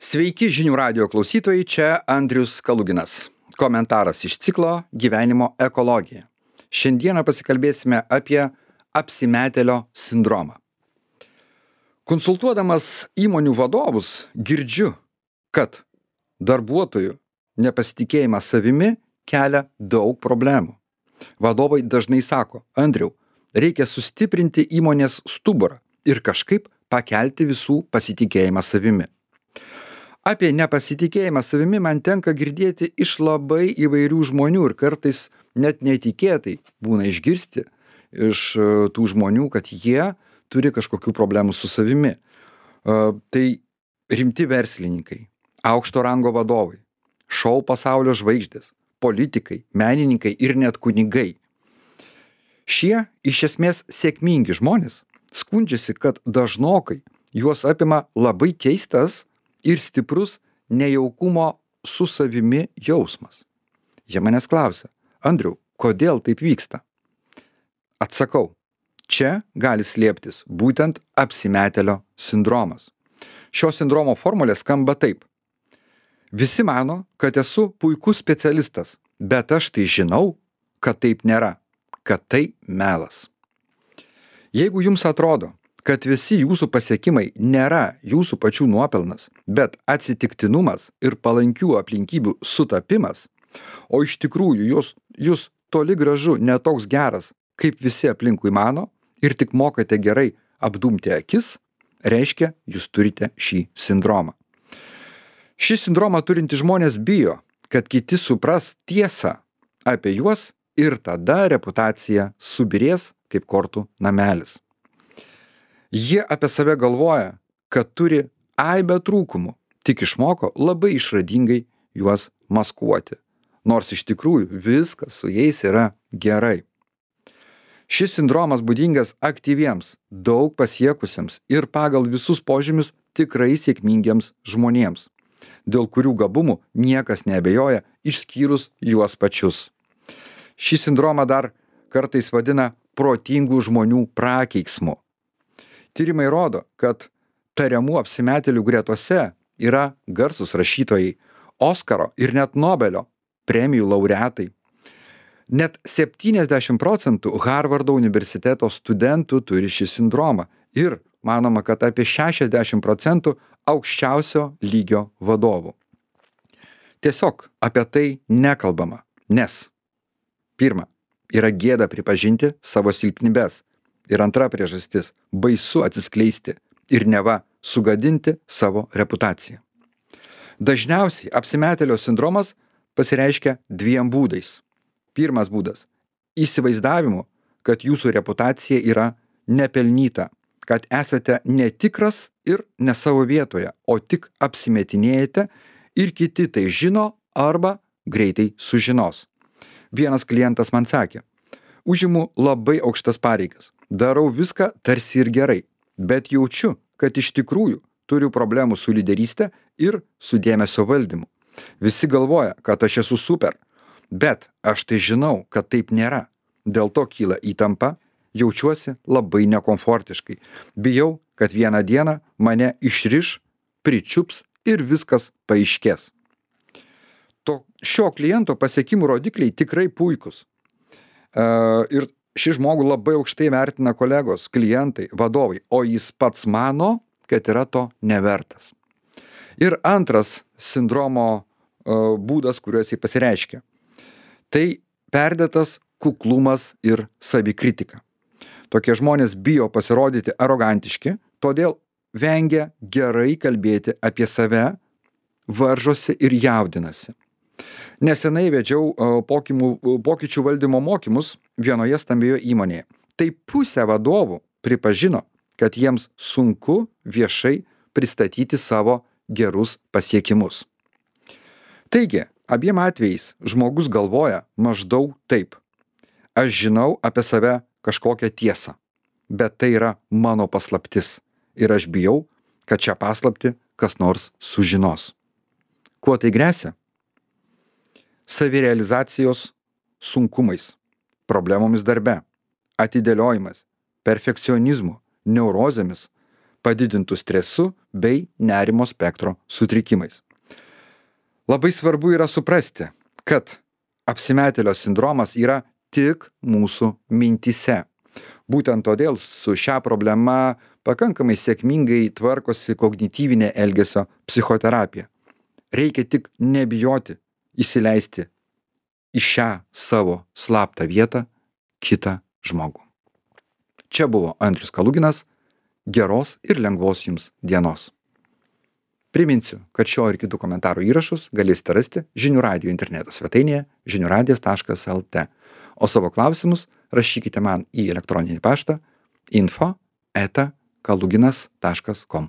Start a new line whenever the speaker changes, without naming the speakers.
Sveiki žinių radijo klausytojai, čia Andrius Kaluginas. Komentaras iš ciklo Gyvenimo ekologija. Šiandieną pasikalbėsime apie apsimetėlio sindromą. Konsultuodamas įmonių vadovus girdžiu, kad darbuotojų nepasitikėjimas savimi kelia daug problemų. Vadovai dažnai sako: Andriau, reikia sustiprinti įmonės stuburą ir kažkaip pakelti visų pasitikėjimą savimi. Apie nepasitikėjimą savimi man tenka girdėti iš labai įvairių žmonių ir kartais net netikėtai būna išgirsti iš tų žmonių, kad jie turi kažkokių problemų su savimi. Tai rimti verslininkai, aukšto rango vadovai, šou pasaulio žvaigždės, politikai, menininkai ir net kunigai. Šie iš esmės sėkmingi žmonės skundžiasi, kad dažnokai juos apima labai keistas ir stiprus nejaukumo su savimi jausmas. Jie manęs klausia: Andriau, kodėl taip vyksta? Atsakau, čia gali slėptis būtent apsimetėlio sindromas. Šio sindromo formulė skamba taip: visi mano, kad esu puikus specialistas, bet aš tai žinau, kad taip nėra, kad tai melas. Jeigu jums atrodo, kad visi jūsų pasiekimai nėra jūsų pačių nuopelnas, bet atsitiktinumas ir palankių aplinkybių sutapimas, o iš tikrųjų jūs toli gražu netoks geras, kaip visi aplinkui mano, ir tik mokate gerai apdumti akis, reiškia, jūs turite šį sindromą. Šį sindromą turintys žmonės bijo, kad kiti supras tiesą apie juos ir tada reputacija subyrės kaip kortų namelis. Jie apie save galvoja, kad turi aibę trūkumų, tik išmoko labai išradingai juos maskuoti, nors iš tikrųjų viskas su jais yra gerai. Šis sindromas būdingas aktyviems, daug pasiekusiems ir pagal visus požymius tikrai sėkmingiems žmonėms, dėl kurių gabumų niekas neabejoja išskyrus juos pačius. Šį sindromą dar kartais vadina protingų žmonių prakeiksmu. Tyrimai rodo, kad tariamų apsimetėlių gretose yra garsūs rašytojai, Oskaro ir net Nobelio premijų laureatai. Net 70% Harvardo universiteto studentų turi šį sindromą ir manoma, kad apie 60% aukščiausio lygio vadovų. Tiesiog apie tai nekalbama, nes pirma, yra gėda pripažinti savo silpnybes. Ir antra priežastis – baisu atsiskleisti ir neva sugadinti savo reputaciją. Dažniausiai apsimetėlio sindromas pasireiškia dviem būdais. Pirmas būdas – įsivaizdavimu, kad jūsų reputacija yra nepelnyta, kad esate netikras ir ne savo vietoje, o tik apsimetinėjate ir kiti tai žino arba greitai sužinos. Vienas klientas man sakė: užimu labai aukštas pareigas. Darau viską tarsi ir gerai, bet jaučiu, kad iš tikrųjų turiu problemų su lyderystė ir su dėmesio valdymu. Visi galvoja, kad aš esu super, bet aš tai žinau, kad taip nėra. Dėl to kyla įtampa, jaučiuosi labai nekomfortiškai. Bijau, kad vieną dieną mane išriš, pričiups ir viskas paaiškės. Šio kliento pasiekimų rodikliai tikrai puikus. Ir šį žmogų labai aukštai vertina kolegos, klientai, vadovai, o jis pats mano, kad yra to nevertas. Ir antras sindromo būdas, kuriuo jis pasireiškia, tai perdėtas kuklumas ir savikritika. Tokie žmonės bijo pasirodyti arogantiški, todėl vengia gerai kalbėti apie save, varžosi ir jaudinasi. Nesenai vedžiau pokyčių valdymo mokymus vienoje stambioje įmonėje. Tai pusė vadovų pripažino, kad jiems sunku viešai pristatyti savo gerus pasiekimus. Taigi, abiem atvejais žmogus galvoja maždaug taip: aš žinau apie save kažkokią tiesą, bet tai yra mano paslaptis ir aš bijau, kad šią paslaptį kas nors sužinos. Kuo tai gresia? Savirealizacijos sunkumais, problemomis darbe, atidėliojimas, perfekcionizmu, neurozėmis, padidintu stresu bei nerimo spektro sutrikimais. Labai svarbu yra suprasti, kad apsimetėlio sindromas yra tik mūsų mintyse. Būtent todėl su šią problemą pakankamai sėkmingai tvarkosi kognityvinė elgesio psichoterapija. Reikia tik nebijoti įsileisti į šią savo slaptą vietą kitą žmogų. Čia buvo Andrius Kaluginas. Geros ir lengvos jums dienos. Priminsiu, kad šio ir kitų komentarų įrašus galėsite rasti Žinių radijo interneto svetainėje žiniuradijas.lt, o savo klausimus rašykite man į elektroninį paštą info@kaluginas.com.